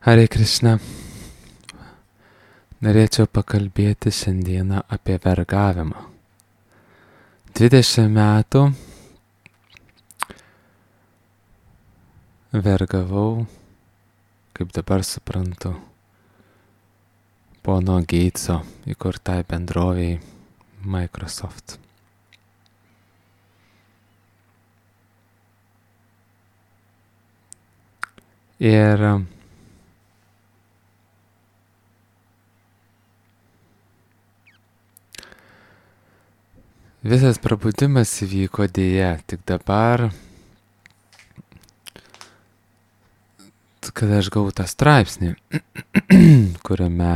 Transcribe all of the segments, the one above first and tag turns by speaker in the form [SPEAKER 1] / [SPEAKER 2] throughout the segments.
[SPEAKER 1] Hare Krishna. Norėčiau pakalbėti šiandieną apie vergavimą. 20 metų vergavau, kaip dabar suprantu, pono Geitso įkurtai bendrovei Microsoft. Ir visas prabudimas įvyko dėja tik dabar, kada aš gavau tą straipsnį, kuriame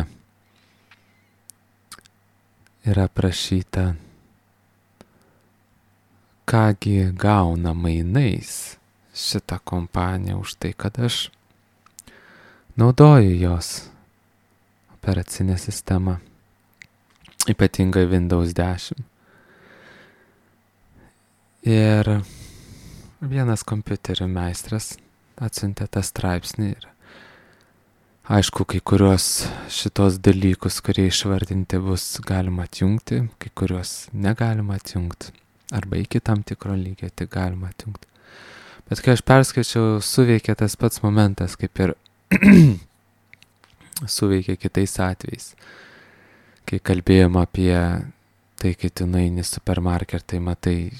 [SPEAKER 1] yra prašyta, kągi gauna mainais šitą kompaniją už tai, kad aš naudoju jos operacinę sistemą, ypatingai Windows 10. Ir vienas kompiuterių meistras atsiuntė tą straipsnį ir aišku, kai kurios šitos dalykus, kurie išvardinti, bus galima atjungti, kai kurios negalima atjungti, arba iki tam tikro lygio tik galima atjungti. Bet kai aš perskaičiau, suveikė tas pats momentas, kaip ir suveikė kitais atvejais. Kai kalbėjom apie tai, kai tu nueini į supermarketą, matai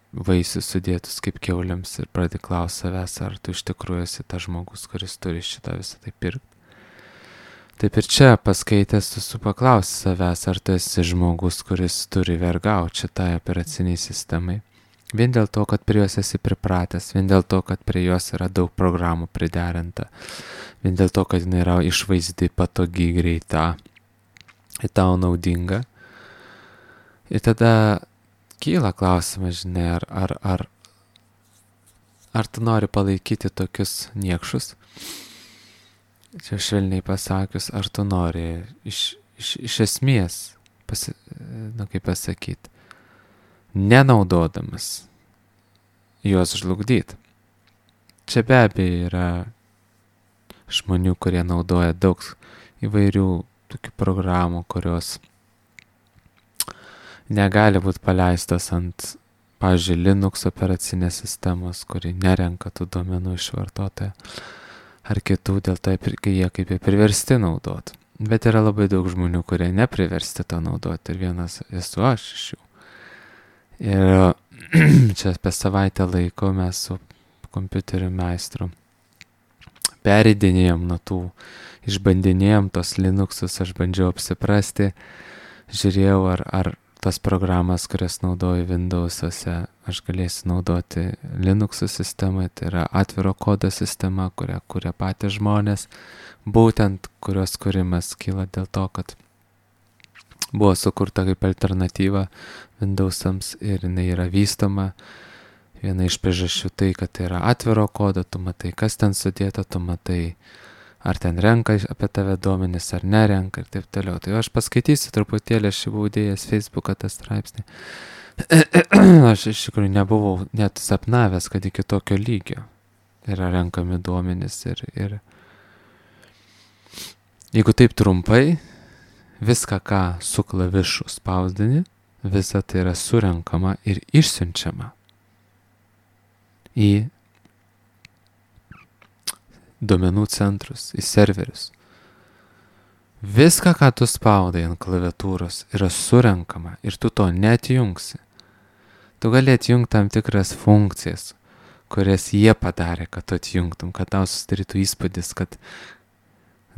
[SPEAKER 1] vaisius sudėtus kaip kiauliams ir pradedi klausti savęs, ar tu iš tikrųjų esi tas žmogus, kuris turi šitą visą tai pirkti. Taip ir čia paskaitęs tu paklausi savęs, ar tu esi žmogus, kuris turi vergauti šitai operaciniai sistemai. Vien dėl to, kad prie jos esi pripratęs, vien dėl to, kad prie jos yra daug programų priderinta, vien dėl to, kad jinai yra išvaizdi, patogi, greita ir tau naudinga. Ir tada kyla klausimas, žinai, ar tu nori palaikyti tokius niekšus? Čia švelniai pasakius, ar tu nori iš esmės, kaip pasakyti, nenaudodamas juos žlugdyti. Čia be abejo yra žmonių, kurie naudoja daug įvairių tokių programų, kurios negali būti paleistos ant, pavyzdžiui, Linux operacinės sistemos, kuri nerenka tų duomenų iš vartotojo, ar kitų, dėl to jie kaip ir priversti naudoti. Bet yra labai daug žmonių, kurie nepriversti to naudoti, ir vienas esu aš iš jų. Ir čia apie savaitę laiko mes su kompiuterių meistru pereidinėjom nuo tų, išbandinėjom tos Linuxus, aš bandžiau apsiprasti, žiūrėjau, ar tas programas, kurias naudoju Windows'uose, aš galėsiu naudoti Linux'ų sistemai, tai yra atviro kodo sistema, kurią kuria patys žmonės, būtent kurios kūrimas kyla dėl to, kad buvo sukurta kaip alternatyva Windows'ams ir jinai yra vystoma. Viena iš priežasčių tai, kad tai yra atviro kodo, tu matai, kas ten sudėta, tu matai, ar ten renka apie tave duomenis, ar nerenka ir taip toliau. Tai aš paskaitysiu truputėlį, aš buvau dėjęs Facebooką tą straipsnį. Aš iš tikrųjų nebuvau net sapnavęs, kad iki tokio lygio yra renkami duomenis ir jeigu taip trumpai, viską, ką su klavišu spausdini, visa tai yra surenkama ir išsiunčiama į duomenų centrus, į serverius. Viską, ką tu spaudai ant klaviatūros, yra surenkama ir tu to neatjungsi. Tu gali atjungti tam tikras funkcijas, kurias jie padarė, kad tu atjungtum, kad tau susidarytų įspūdis, kad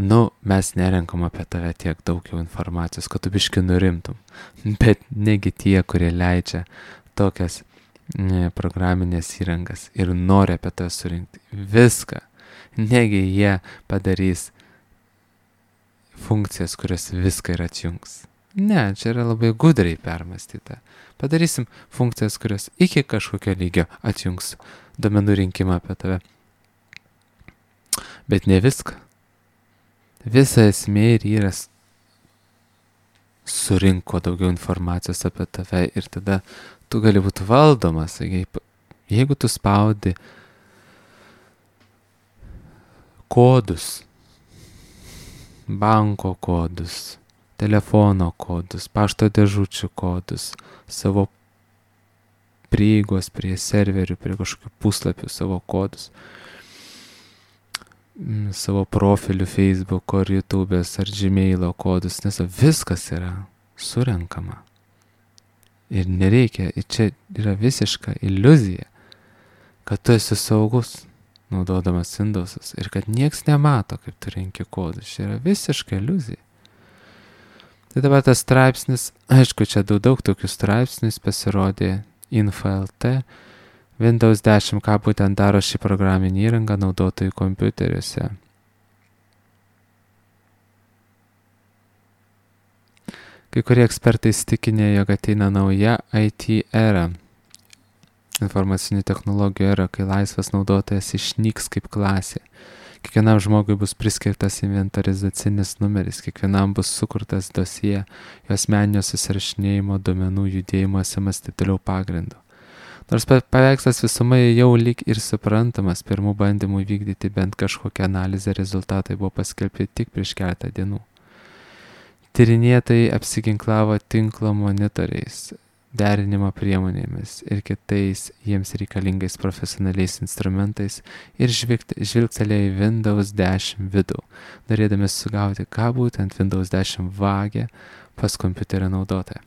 [SPEAKER 1] mes nerenkam apie tave tiek daug jau informacijos, kad tu biškį nurimtum. Bet negi tie, kurie leidžia tokias programinės įrangas ir nori apie tave surinkti viską, negi jie padarys funkcijas, kurias viską ir atjungs. Ne, čia yra labai gudriai permąstyta. Padarysim funkcijas, kurios iki kažkokio lygio atjungs duomenų rinkimą apie tave. Bet ne viską. Visa esmė ir yra surinko daugiau informacijos apie tave ir tada tu gali būti valdomas. Jeigu tu spaudi kodus banko kodus, telefono kodus, pašto dėžučių kodus, savo prieigos prie serverių, prie kažkokių puslapių savo kodus, savo profilių Facebook'o ar YouTube'ės ar Gmail'o kodus, nes viskas yra surenkama. Ir nereikia, ir čia yra visiška iliuzija, kad tu esi saugus naudodamas Windows'us ir kad nieks nemato, kaip tu renki kodus. Čia yra visiška iliuzija. Tai dabar tas straipsnis, aišku, čia daug tokių straipsnių pasirodė Info.lt, Windows 10, ką būtent daro šį programinį įrangą naudotojų kompiuteriuose. Kai kurie ekspertai įsitikinę, jog ateina nauja IT era, informacinių technologijų era, kai laisvas naudotojas išnyks kaip klasė. Kiekvienam žmogui bus priskirtas inventarizacinis numeris, kiekvienam bus sukurtas dosie, jo asmeninio susirašinėjimo duomenų judėjimo SMS taip toliau pagrindu. Nors paveikslas visumai jau lyg ir suprantamas, pirmų bandymų vykdyti bent kažkokią analizę rezultatai buvo paskelbti tik prieš keletą dienų. Tyrinėtojai apsiginklavo tinklo monitoriais, derinimo priemonėmis ir kitais jiems reikalingais profesionaliais instrumentais ir žvilgtelėjo į Windows 10 vidų, norėdami sugauti, ką būtent Windows 10 vagia pas kompiuterio naudotoją.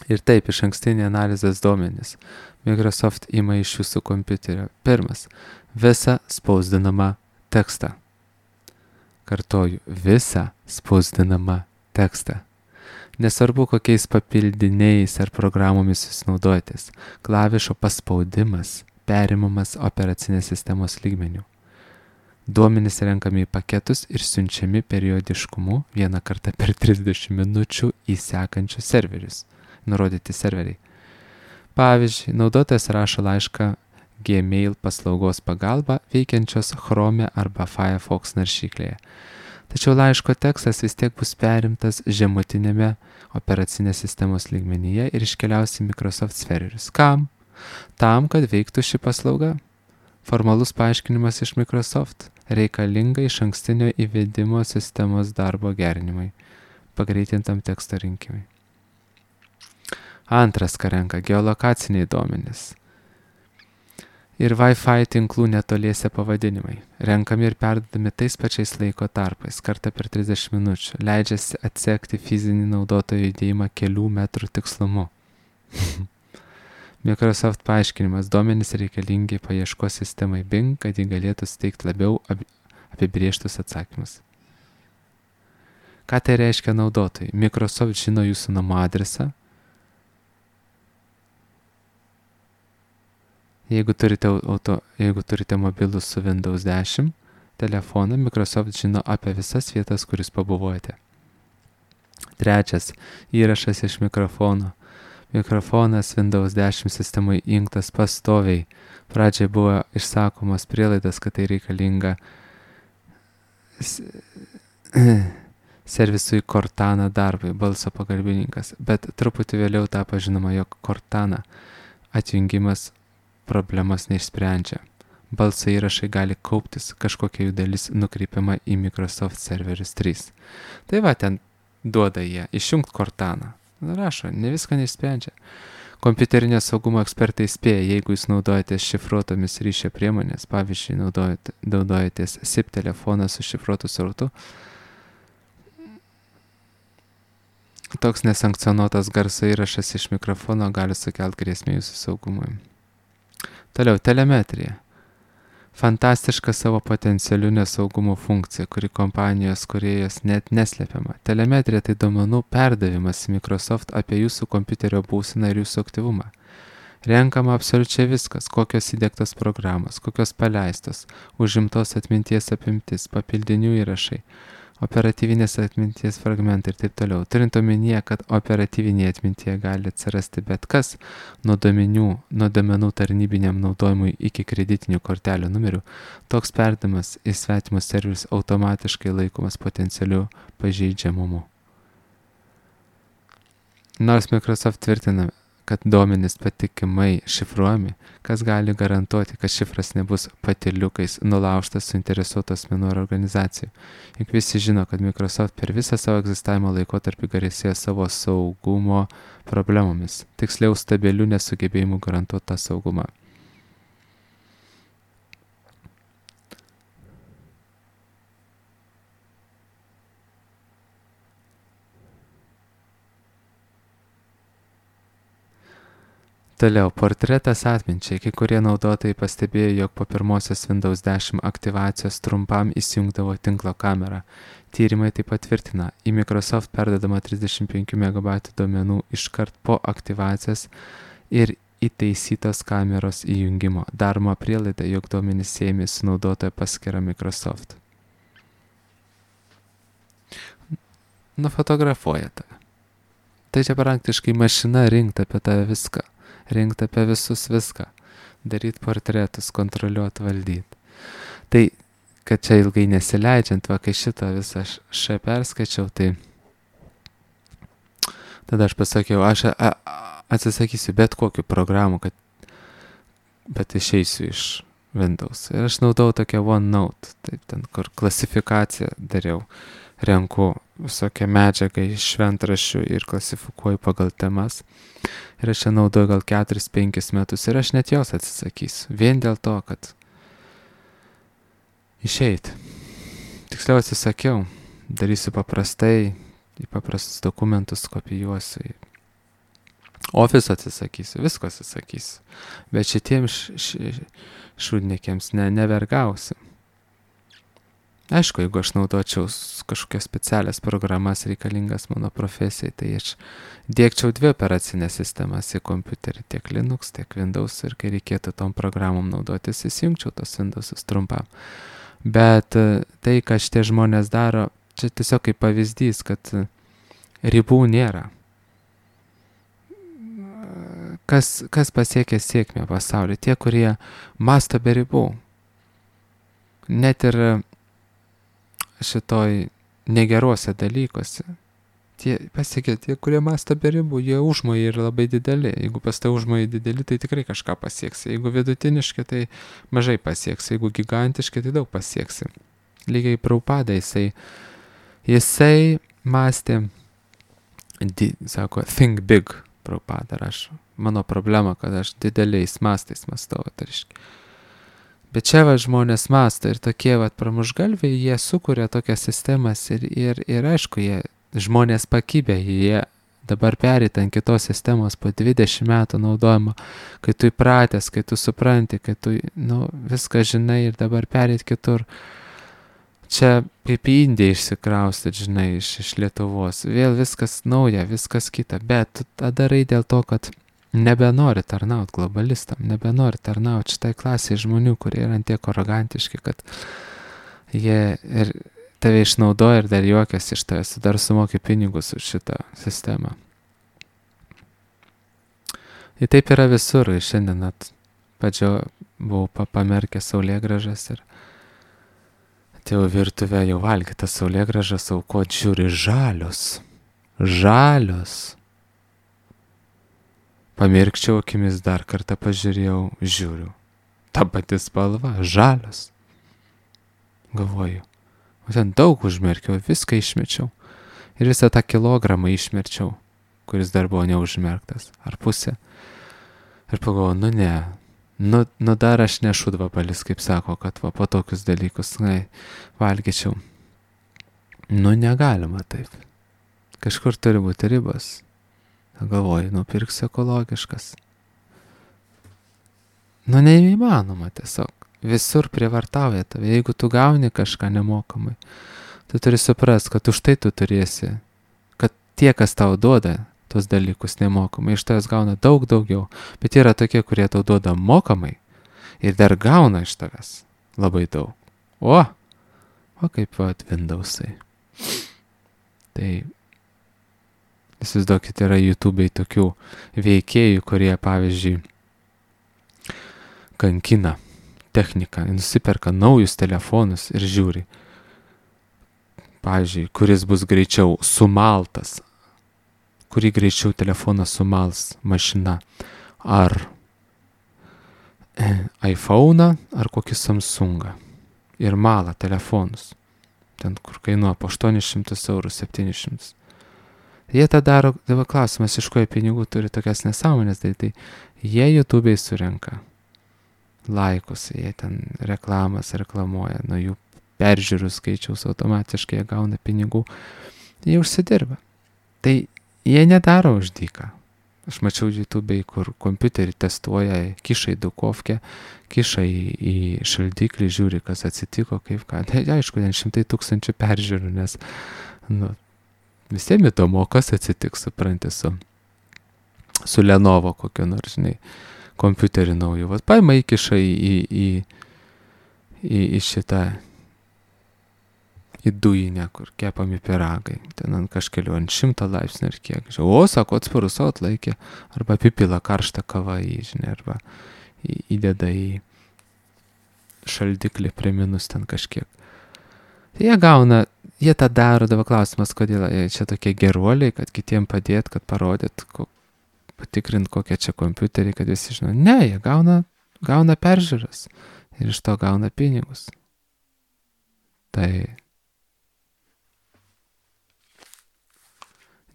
[SPEAKER 1] Ir taip, iš ankstinį analizės duomenys Microsoft ima iš jūsų kompiuterio. Pirmas, visą spausdinamą tekstą. Kartoju, visą spausdinamą tekstą. Nesvarbu, kokiais papildiniais ar programomis jūs naudojatės, klavišo paspaudimas perimamas operacinės sistemos lygmeniu. Duomenys renkami į paketus ir siunčiami periodiškumu vieną kartą per 30 minučių į sekančius serverius. Nurodyti serveriai. Pavyzdžiui, naudotojas rašo laišką Gmail paslaugos pagalba veikiančios Chrome arba Firefox naršyklėje. Tačiau laiško tekstas vis tiek bus perimtas žemutinėme operacinės sistemos lygmenyje ir iškeliaus į Microsoft serverius. Kam? Tam, kad veiktų ši paslauga. Formalus paaiškinimas iš Microsoft reikalinga iš ankstinio įvedimo sistemos darbo gerinimui, pagreitintam teksto rinkimui. Antras, ką renka, geolokaciniai duomenys ir Wi-Fi tinklų netoliese pavadinimai. Renkami ir perdodami tais pačiais laiko tarpais, kartą per 30 minučių. Leidžiasi atsekti fizinį naudotojo judėjimą kelių metrų tikslumu. Microsoft paaiškinimas, duomenys reikalingi paieškos sistemai Bing, kad ji galėtų suteikti labiau apibrėžtus atsakymus. Ką tai reiškia naudotojai? Microsoft žino jūsų namo adresą. Jeigu turite mobilų su Windows 10 telefoną, Microsoft žino apie visas vietas, kur jūs pabuvojate. Trečias, įrašas iš mikrofono. Mikrofonas Windows 10 sistemai įjungtas pastoviai. Pradžiai buvo išsakomos prielaidas, kad tai reikalinga servisui Cortana darbui, balso pagalbininkas, bet truputį vėliau tapo žinoma, jog Cortana atjungimas problemas neišsprendžia. Balso įrašai gali kauptis, kažkokia jų dalis nukreipiama į Microsoft Serverius 3. Tai va, ten duoda jie, išjungt Cortana. Rašo, ne viską neišsprendžia. Kompiuterinio saugumo ekspertai spėja, jeigu jūs naudojatės šifruotomis ryšio priemonės, pavyzdžiui, naudojatės SIP telefoną su šifruotu srautu, toks nesankcionuotas garso įrašas iš mikrofono gali sukelti grėsmę jūsų saugumui. Toliau, telemetrija. Fantastiška savo potencialių nesaugumo funkcija, kuri kompanijos kūrėjos net neslepiama. Telemetrija tai duomenų perdavimas Microsoft apie jūsų kompiuterio būseną ir jūsų aktyvumą. Renkama absoliučiai viskas, kokios įdiegtos programos, kokios paleistos, užimtos atminties apimtis, papildinių įrašai, operatyvinės atminties fragmentai ir taip toliau. Turint omenyje, kad operatyvinėje atmintyje gali atsirasti bet kas, nuo duomenų tarnybiniam naudojimui iki kreditinių kortelių numerių, toks perdavimas į svetimus serverius automatiškai laikomas potencialiu pažeidžiamumu. Nors Microsoft tvirtina, kad duomenys patikimai šifruojami, kas gali garantuoti, kad šifras nebus patyliukais nulaužtas suinteresuotos asmenų ar organizacijų. Juk visi žino, kad Microsoft per visą savo egzistavimo laikotarpį garsėjo savo saugumo problemomis, tiksliau stabilių nesugebėjimų garantuoti tą saugumą. Toliau, portretas atminčiai. Kai kurie naudotojai pastebėjo, jog po pirmosios Windows 10 aktyvacijos trumpam įsijungdavo tinklo kamerą. Tyrimai tai patvirtina. Į Microsoft perdodama 35 MB duomenų iškart po aktyvacijos ir įtaisytos kameros įjungimo. Daroma prielaida, jog duomenys siejami su naudotojo paskyra Microsoft. Nufotografuoja tave. Tai čia praktiškai mašina rinkti apie tave viską. Rinkti apie visus viską, daryti portretus, kontroliuoti, valdyti. Tai, kad čia ilgai nesileidžiant, va, kai šitą visą perskaičiau, tai tada aš pasakiau, aš atsisakysiu bet kokių programų, bet išeisiu iš Windows. Ir aš naudau tokią OneNote, taip, ten, kur klasifikaciją dariau, renku visokią medžiagą iš šventraščių ir klasifikuoju pagal temas. Ir aš čia naudoju gal 4-5 metus ir aš net jos atsisakysiu. Vien dėl to, kad išeit. Tiksliau atsisakiau. Darysiu paprastai, į paprastus dokumentus kopijuosiu. Office atsisakysiu, visko atsisakysiu. Bet šitiems šūdniekiams nevergausiu. Aišku, jeigu aš naudočiau kažkokias specialias programas reikalingas mano profesijai, tai aš dėkčiau 2 operacinės sistemas į kompiuterį, tiek Linux, tiek Windows, ir kai reikėtų tom programom naudotis, įsijungčiau tos Windowsus trumpam. Bet tai, ką šitie žmonės daro, čia tiesiog kaip pavyzdys, kad ribų nėra. Kas pasiekia sėkmę pasaulyje? Tie, kurie mąsto be ribų. Net ir šitoj negeruose dalykuose. Pasiekia tie, kurie mąsto be ribų, jie užmojai yra labai dideli. Jeigu pas tai užmojai dideli, tai tikrai kažką pasieksi. Jeigu vidutiniškai, tai mažai pasieksi. Jeigu gigantiškai, tai daug pasieksi. Lygiai Prabhupada, jisai mąstė, sako, think big, Prabhupada rašo. Mano problema, kad aš dideliais mastais mąstau, tariškai. Bet čia žmonės mąsto ir tokie pramušgalviai, jie sukuria tokias sistemas ir aišku, žmonės pakibę, jie dabar pereit ant kitos sistemos po 20 metų naudojimo, kai tu įpratęs, kai tu supranti, kai tu viską žinai ir dabar pereit kitur. Čia kaip į Indiją išsikraustyti, žinai, iš Lietuvos. Vėl viskas nauja, viskas kita, bet tą darai dėl to, kad nebenori tarnauti globalistam, nebenori tarnauti šitai klasiai žmonių, kurie yra tiek arogantiški, kad jie ir tave išnaudoja ir dar juokiasi iš tavęs, dar sumoki pinigus už šitą sistemą. Ir taip yra visur, ir šiandien buvau pamerkęs saulėgražas ir atėjau virtuvę jau valgytas saulėgražas, aukot žiūri žalios. Pamirkčiau akimis, dar kartą pažiūrėjau, žiūriu. Ta pati spalva, žalios. Galvoju, ten daug užmerkiau, viską išmečiau. Ir visą tą kilogramą išmečiau, kuris dar buvo neužmerktas, ar pusę. Ir pagalvoju, dar aš nešu dvabalis, kaip sako, kad po tokius dalykus, valgyčiau. Negalima taip. Kažkur turi būti ribos. Galvoju, nupirksiu ekologiškas. Neįmanoma tiesiog. Visur prievartauja tave. Jeigu tu gauni kažką nemokamai, tu turi suprasti, kad už tai tu turėsi, kad tie, kas tau duoda tos dalykus nemokamai, iš tavęs gauna daug daugiau. Bet yra tokie, kurie tau duoda mokamai ir dar gauna iš tavęs labai daug. O kaip Windowsai. Tai įsivaizduokit, yra YouTube'ai tokių veikėjų, kurie, pavyzdžiui, kankina techniką, nusiperka naujus telefonus ir žiūri, pavyzdžiui, kuris bus greičiau sumaltas kurį greičiau telefoną sumals mašina. Ar iPhone'ą, ar kokį Samsungą. Ir mala telefonus. Ten, kur kainuoja po 800 eurų, 700. Jie tą daro, dabar klausimas, iš ko jie pinigų turi tokias nesąmonės, tai jie YouTube'ai surenka laikus, jie ten reklamas reklamuoja, nuo jų peržiūrų skaičiaus automatiškai jie gauna pinigų, jie užsidirba. Tai jie nedaro už dyką. Aš mačiau YouTube'ai, kur kompiuterį testuoja, kiša į dukovkę, kiša į šaldiklį, žiūri, kas atsitiko, kaip ką. Tai aišku, ten 100 000 peržiūrų, nes visiems įdomu, kas atsitiks, supranti, su Lenovo kokio nors, žinai, kompiuterį nauju. Vat paima įkiša į šitą, į dujinę, kur kepami pyragai. Ten ant kažkelių, ant 100 laipsnių ir kiek. O, sako, atsparus, atlaikė. Arba apipila karštą kavą žinai, arba įdeda į šaldiklį prie minus ten kažkiek. Tai jie tą daro, dabar klausimas, kodėl jie čia tokie geruoliai, kad kitiem padėt, kad parodyt, patikrint kokie čia kompiuteriai, kad visi žino. Ne, jie gauna peržiūras ir iš to gauna pinigus. Tai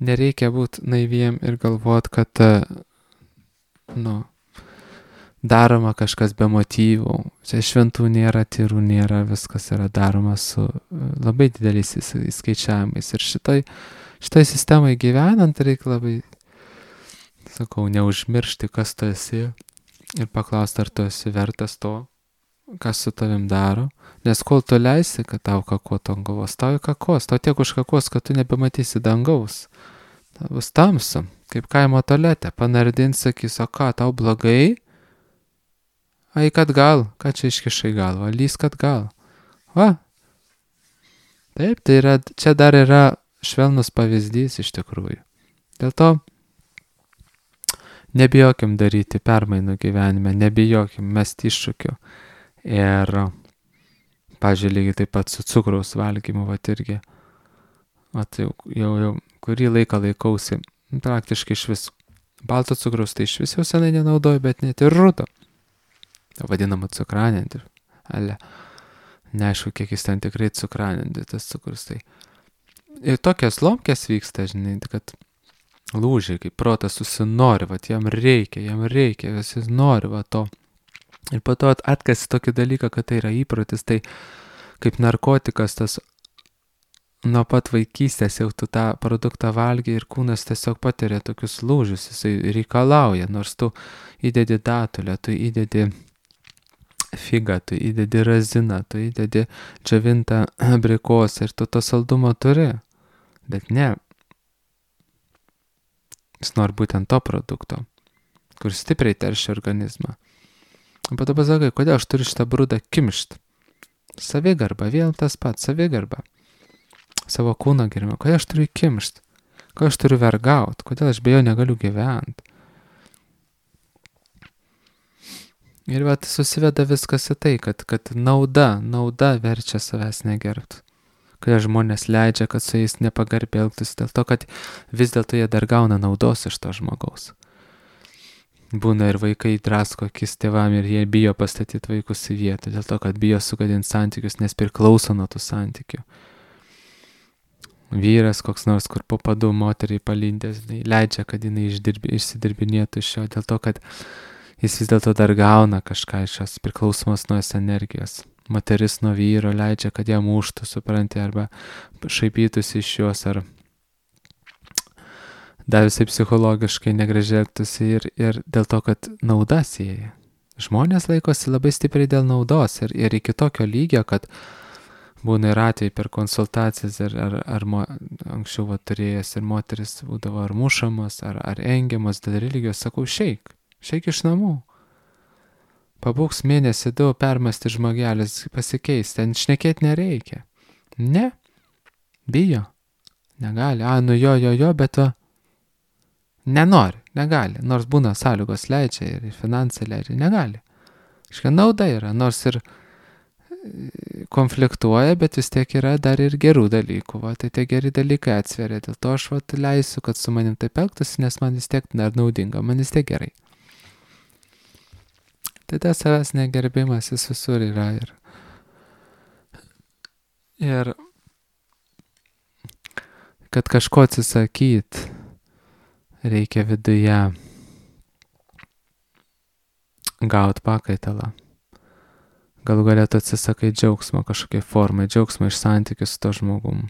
[SPEAKER 1] nereikia būti naiviem ir galvot, kad daroma kažkas be motyvų. Čia šventų nėra, tyrų nėra, viskas yra daroma su labai dideliais įskaičiavimais. Ir šitoj sistemoje gyvenant reikia labai, sakau, neužmiršti, kas tu esi ir paklausti, ar tu esi vertas to, kas su tavim daro. Nes kol tu leisi, kad tau kakotų ant galvos, tau kakos, tau tiek užkakos, kad tu nebematysi dangaus. Tau bus tamsu, kaip kaimo tualete, panardins, sakys, o ką, tau blogai? Eik atgal, ką čia iškišai galvą, lysk atgal. Va. Taip, tai čia dar yra švelnus pavyzdys iš tikrųjų. Dėl to nebijokim daryti permainų gyvenime, nebijokim mesti iššūkių. Ir, pavyzdžiui, lygiai taip pat su cukraus valgymu, irgi. Jau kurį laiką laikausi, praktiškai iš vis. Balto cukraus tai iš vis jau senai nenaudoju, bet net ir rudo. Vadinama cukranendriu. Neaišku, kiek jis ten tikrai cukranendriu, tas cukrus. Tai. Ir tokias lomkės vyksta, žinai, kad lūžiai, kaip protas susinori, jam reikia, jis nori to. Ir po to atkasi tokį dalyką, kad tai yra įprotis, tai kaip narkotikas, tas nuo pat vaikystės jau tu tą produktą valgy ir kūnas tiesiog patiria tokius lūžius, jisai reikalauja, nors tu įdedi datulę, tu įdedi figą, tu įdedi raziną, tu įdedi džiavintą abrikosą ir tu to saldumo turi, bet ne. Jis nori būtent to produkto, kur stipriai teršia organizmą. O po to pasakai, kodėl aš turiu šitą brudą kimšt? Savigarba, vėl tas pats, savigarba. Savo kūno gerimą. Kodėl aš turiu kimšt? Kodėl aš turiu vergaut? Kodėl aš be jo negaliu gyventi? Ir susiveda viskas į tai, kad nauda verčia savęs negerbt. Kodėl žmonės leidžia, kad su jais nepagarbiai elgtųsi, dėl to, kad vis dėlto jie dar gauna naudos iš to žmogaus. Būna ir vaikai drasko akis tėvam ir jie bijo pastatyti vaikus į vietą, dėl to, kad bijo sugadinti santykius, nes priklauso nuo tų santykių. Vyras koks nors, kur po padų moteriai palindęs, leidžia, kad jinai išsidirbinėtų iš jo, dėl to, kad jis vis dėlto dar gauna kažką iš jos priklausomos nuo jos energijos. Moteris nuo vyro leidžia, kad ją muštų, supranti, arba šaipytųsi iš jos, ar dar visai psichologiškai negražiai elgtųsi ir dėl to, kad nauda sieja. Žmonės laikosi labai stipriai dėl naudos ir iki tokio lygio, kad būna ir atvejai per konsultacijas ar anksčiau turėjęs ir moteris būdavo ar mušamos, ar engiamos dėl religijos, sakau, šeik iš namų. Pabūks mėnesį 2, permasti žmogelis, pasikeis, ten šnekėti nereikia. Ne, bijo, negali, jo, bet nenori, negali, nors būna sąlygos leidžia ir finansai leidžia, negali. Nauda yra, nors ir konfliktuoja, bet vis tiek yra dar ir gerų dalykų. Va, tai tie geri dalykai atsveria. Dėl to aš leisiu, kad su manim taip elgtųsi, nes man vis tiek dar naudinga, man vis tiek gerai. Tai tas savęs negerbimas jis visur yra. Ir kad kažko atsisakyti, reikia viduje gauti pakaitalą. Galų galėtų atsisakai džiaugsmo kažkokiai formai, džiaugsmo iš santykių su to žmogum.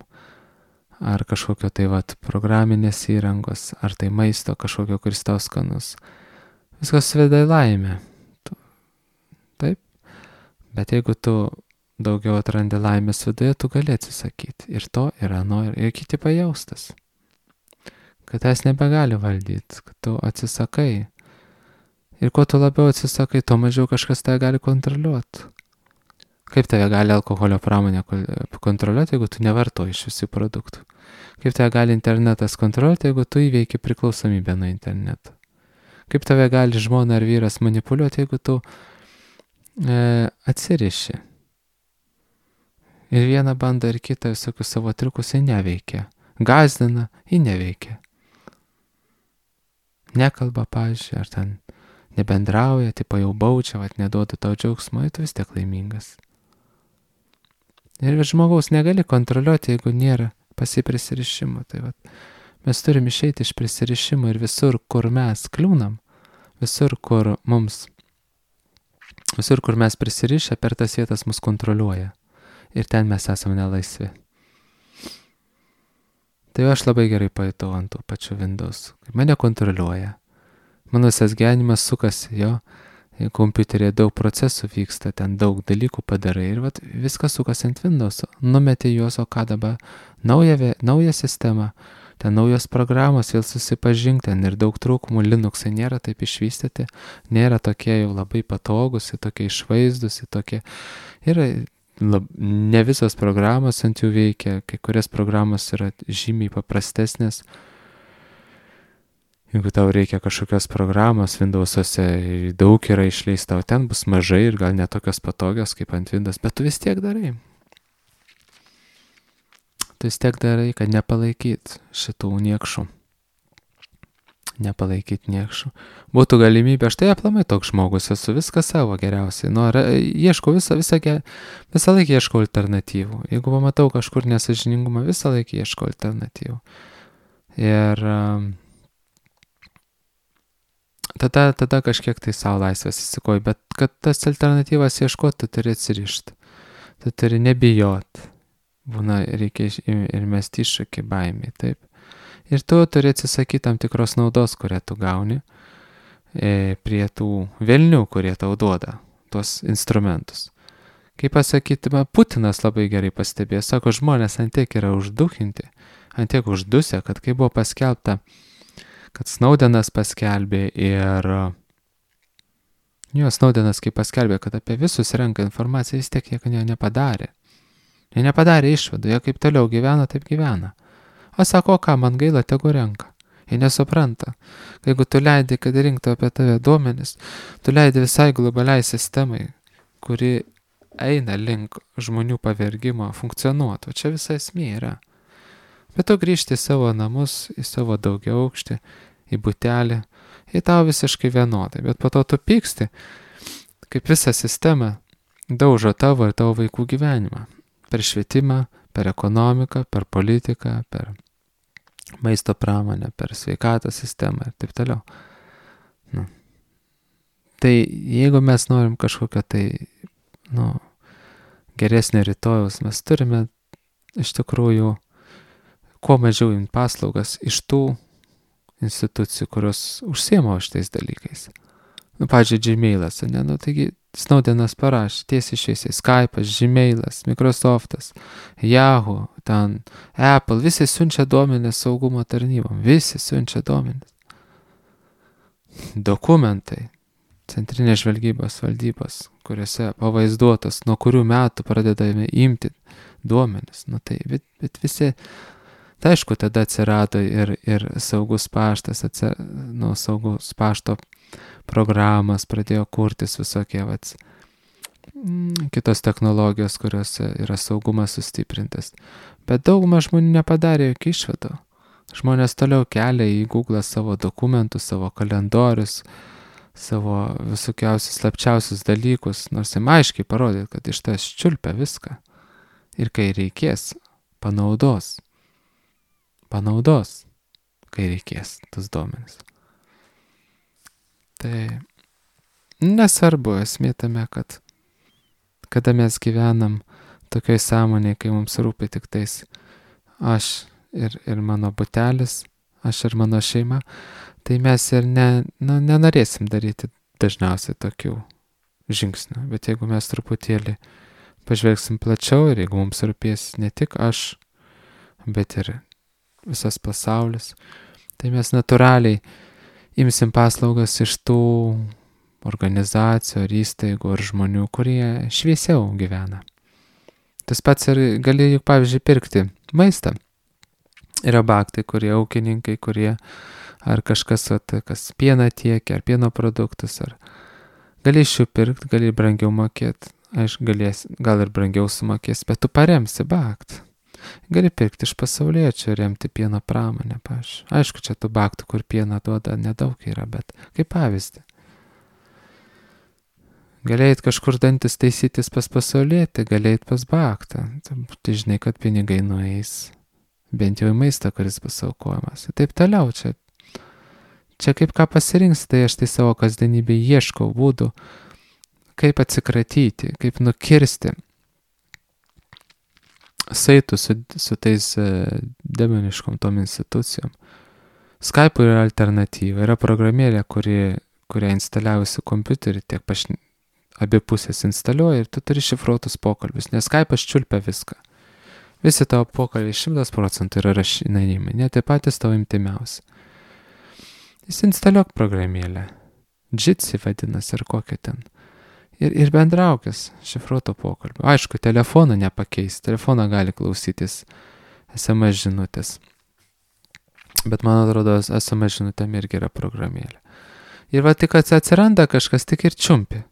[SPEAKER 1] Ar kažkokio tai programinės įrangos, ar tai maisto kažkokio, kuris tau skanus. Viskas veda į laimę. Taip? Bet jeigu tu daugiau atrandi laimės viduje, tu gali atsisakyti. Ir to, ir ano, ir kiti pajaustas. Kad es nebegali valdyti, kad tu atsisakai. Ir kuo tu labiau atsisakai, to mažiau kažkas tave gali kontroliuoti. Kaip tave gali alkoholio pramonė kontroliuoti, jeigu tu nevartoji iš visų produktų? Kaip tave gali internetas kontroliuoti, jeigu tu įveiki priklausomybę nuo interneto? Kaip tave gali žmona ar vyras manipuliuoti, jeigu tu atsiriši? Ir vieną bando ir kitą visokius savo triukus, jie neveikia. Gazdina, jie neveikia. Nekalba, pavyzdžiui, ar ten nebendrauja, tipo jau baučia, neduoda tau džiaugsmo, tu vis tiek laimingas. Ir žmogaus negali kontroliuoti, jeigu nėra prisirišimo. Tai mes turim išeiti iš prisirišimo ir visur, kur mes kliūnam, visur, kur mes prisirišę, per tas vietas mus kontroliuoja. Ir ten mes esame nelaisvi. Tai aš labai gerai pajutau ant tų pačių Windows. Mane kontroliuoja. Mano visas gyvenimas sukasi jo. Kompiuterėje daug procesų vyksta, ten daug dalykų padarai. Ir viskas sukasi ant Windows. Numetė juos, o ką dabar? Nauja sistema. Ten naujos programos, vėl susipažink, ten ir daug trūkumų. Linuxai nėra taip išvystyti. Nėra tokie jau labai patogus, tokie išvaizdus, tokie. Ir ne visos programos ant jų veikia, kai kurias programos yra žymiai paprastesnės. Jeigu tau reikia kažkokios programos, Windows'ose daug yra išleista, o ten bus mažai ir gal netokios patogios kaip ant Windows, bet tu vis tiek darai. Tu vis tiek darai, kad nepalaikyt šitų niekšų. Nepalaikyti niekšų. Būtų galimybė, aš tai aplamai toks žmogus, esu viską savo geriausiai. Ieškau visą laiką ieškau alternatyvų. Jeigu pamatau kažkur nesąžiningumą, visą laiką ieškau alternatyvų. Ir tada kažkiek tai savo laisvės įsikoju, bet kad tas alternatyvas ieškoti, tu turi atsirišti. Tu turi nebijoti. Būna, reikia ir mesti iššūkį baimį, taip. Ir tu turi atsisakyti tam tikros naudos, kurią tu gauni prie tų velnių, kurie tau duoda tuos instrumentus. Kaip pasakyti, Putinas labai gerai pastebėjo, sako, žmonės ant tiek yra užduchinti, ant tiek uždusę, kad kai buvo paskelbta, kad Snowdenas paskelbė ir Snowdenas kai paskelbė, kad apie visus renka informaciją, vis tiek jie nepadarė. Jie nepadarė išvadų, jie kaip toliau gyvena, taip gyvena. O sako, ką, man gaila, tegu renka. Jie nesupranta. Jeigu tu leidi, kad rinktų apie tave duomenis, tu leidi visai globaliai sistemai, kuri eina link žmonių pavergimo, funkcionuotų. Čia visa esmė yra. Bet tu grįžti į savo namus, į savo daugiaaukštį, į butelį, į tau visiškai vienodai. Bet po to tu pyksti, kaip visa sistema daužo tavo ir tavo vaikų gyvenimą. Per švietimą, per ekonomiką, per politiką, per maisto pramonę, per sveikatos sistemą ir taip toliau. Tai jeigu mes norim kažkokio tai, geresnio rytojaus, mes turime iš tikrųjų kuo mažiau imti paslaugas iš tų institucijų, kurios užsiema šitais dalykais. Pavyzdžiui, Gmailas, taigi Snowdenas parašė tiesiai šviesiai, Skype'as, Gmailas, Microsoftas, Yahoo, ten Apple, visi siunčia duomenis saugumo tarnybom, visi siunčia duomenis. Dokumentai, centrinės žvalgybos valdybos, kuriuose pavaizduotos, nuo kurių metų pradedame imti duomenis. Bet visi, tai aišku, tada atsirado ir saugus paštas, saugus pašto programas pradėjo kurtis visokie, kitos technologijos, kuriuose yra saugumas sustiprintas. Bet dauguma žmonių nepadarė jokių išvadų. Žmonės toliau kelia į Google savo dokumentus, savo kalendorius, savo visokiausius slapčiausius dalykus, nors jam aiškiai parodė, kad iš tas čiulpia viską. Ir kai reikės, panaudos, kai reikės tas duomenis. Tai nesvarbu, esmė tame, kad kada mes gyvenam tokioj sąmonėje, kai mums rūpi tik tais aš ir mano butelis, aš ir mano šeima, tai mes ir nenorėsim daryti dažniausiai tokių žingsnių. Bet jeigu mes truputėlį pažvelgsim plačiau ir jeigu mums rūpės ne tik aš, bet ir visas pasaulis, tai mes natūraliai imsim paslaugas iš tų organizacijų ar įstaigų ar žmonių, kurie šviesiau gyvena. Tas pats ir gali, juk pavyzdžiui, pirkti maistą. Yra baktai, kurie ūkininkai, kurie ar kažkas, kas pieną tiekia, ar pieno produktus, ar gali iš jų pirkti, gali brangiau mokėti, aišku, gal ir brangiau sumokės, bet tu paremsi baktą. Gali pirkti iš pasauliečių, remti pieno pramonę, pavyzdžiui. Aišku, čia tų baktų, kur pieną duoda, nedaug yra, bet kaip pavyzdį. Galėjai kažkur dantis taisytis pas pasaulietį, galėjai pas baktą. Tai žinai, kad pinigai nueis, bent jau į maistą, kuris bus aukojamas. Ir taip toliau, čia kaip ką pasirinks, tai aš tai savo kasdienybėje ieškau būdų, kaip atsikratyti, kaip nukirsti saitų su tais demoniškom tom institucijom. Skype'ui yra alternatyva, yra programėlė, kurią instaliavusi kompiuterį, abi pusės instaliuoja ir tu turi šifruotus pokalbius, nes Skype'as čiulpia viską. Visi tavo pokalbiai 100% yra rašinėjimai, net ir patys tavo imtimiausi. Instaliuok programėlę, Jitsi vadinasi ar kokia ten. Ir bendraukis šifruoto pokalbio. Aišku, telefoną nepakeis, telefoną gali klausytis SMS žinutės. Bet man atrodo, SMS žinutėm irgi yra programėlė. Ir va tik atsiranda kažkas, tik ir čiumpi.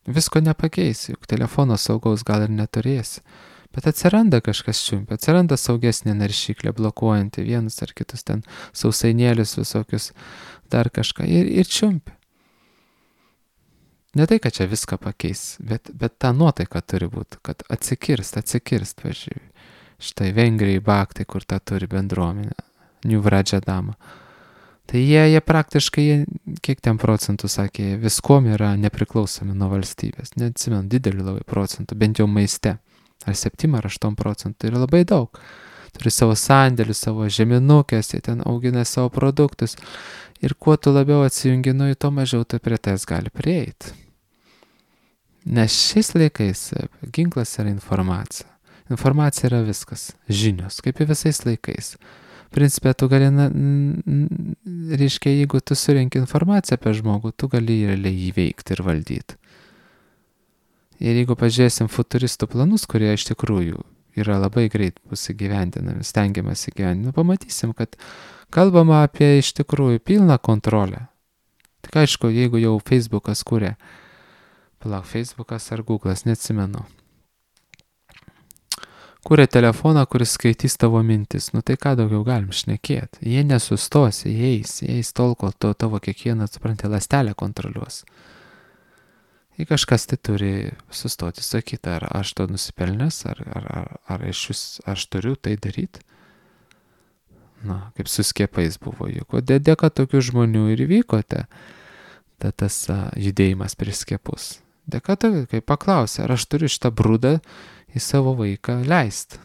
[SPEAKER 1] Visko nepakeisi, juk telefono saugaus gal ir neturėsi. Bet atsiranda kažkas čiumpi, atsiranda saugesnė naršyklė, blokuojanti vienus ar kitus ten sausainėlius visokius, dar kažką ir čiumpi. Ne tai, kad čia viską pakeis, bet ta nuotaika turi būti, kad atsikirst, pažiūrėjau. Štai Vengrijai baktai, kur tą turi bendruomenę, New Vrajadama. Tai jie praktiškai, kiek ten procentų sakė, viskuom yra nepriklausomi nuo valstybės. Neatsimenu, didelį labai procentų, bent jau maiste. Ar 7 ar 8 procentų, yra labai daug. Turi savo sandėlius, savo žeminukės, jie ten augina savo produktus. Ir kuo tu labiau atsijungi nuo jų, to mažiau tu prie tais gali prieiti. Nes šiais laikais ginklas yra informacija. Informacija yra viskas. Žinios, kaip ir visais laikais. Principė, tu gali, reiškia, jeigu tu surenki informaciją apie žmogų, tu gali realiai įveikti ir valdyti. Ir jeigu pažiūrėsim futuristų planus, kurie iš tikrųjų yra labai greit bus įgyvendinami, stengiamas įgyvendinami, pamatysim, kad kalbama apie iš tikrųjų pilną kontrolę. Tik aišku, jeigu jau Facebookas kuria, Facebookas ar Google'as, neatsimenu, kuria telefoną, kuris skaitys tavo mintis, tai ką daugiau galim šnekėti. Jie nesustos, jie eis tol, kol tavo kiekvieną, supranti, ląstelę kontroliuos. Ir kažkas tai turi sustoti, sakyti, ar aš to nusipelnęs, ar aš turiu tai daryti. Kaip su skiepais buvo, juk dėka tokių žmonių ir vyko tas judėjimas prieš skiepus. Dėka to, kai paklausė, ar aš turiu šitą brūdą į savo vaiką leisti.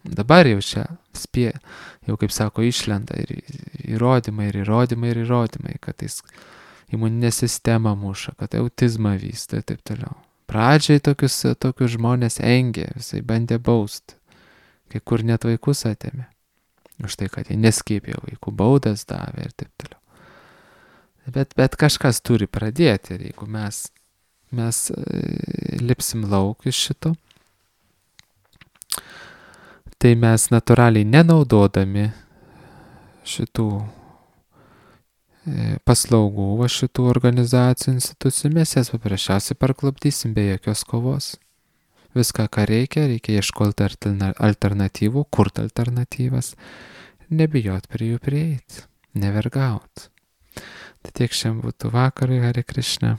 [SPEAKER 1] Dabar jau čia jau kaip sako, išlenda ir įrodymai, kad jis imuninę sistemą muša, kad autizmą vysto ir taip toliau. Pradžiai tokius žmonės engė, visai bandė bausti, kai kur net vaikus atėmė. Už tai, kad jie neskiepėjo vaikų, baudas davė ir taip toliau. Bet kažkas turi pradėti ir jeigu mes lipsim lauk iš šito, tai mes natūraliai nenaudodami šitų paslaugų va šitų organizacijų, institucijų, mes jas paprasčiausiai parklupdysim be jokios kovos. Viską, ką reikia ieškoti alternatyvų, kurti alternatyvas, nebijot prie jų prieiti, nevergaut. Tai tiek šiandien būtų vakarui, Hare Krishna.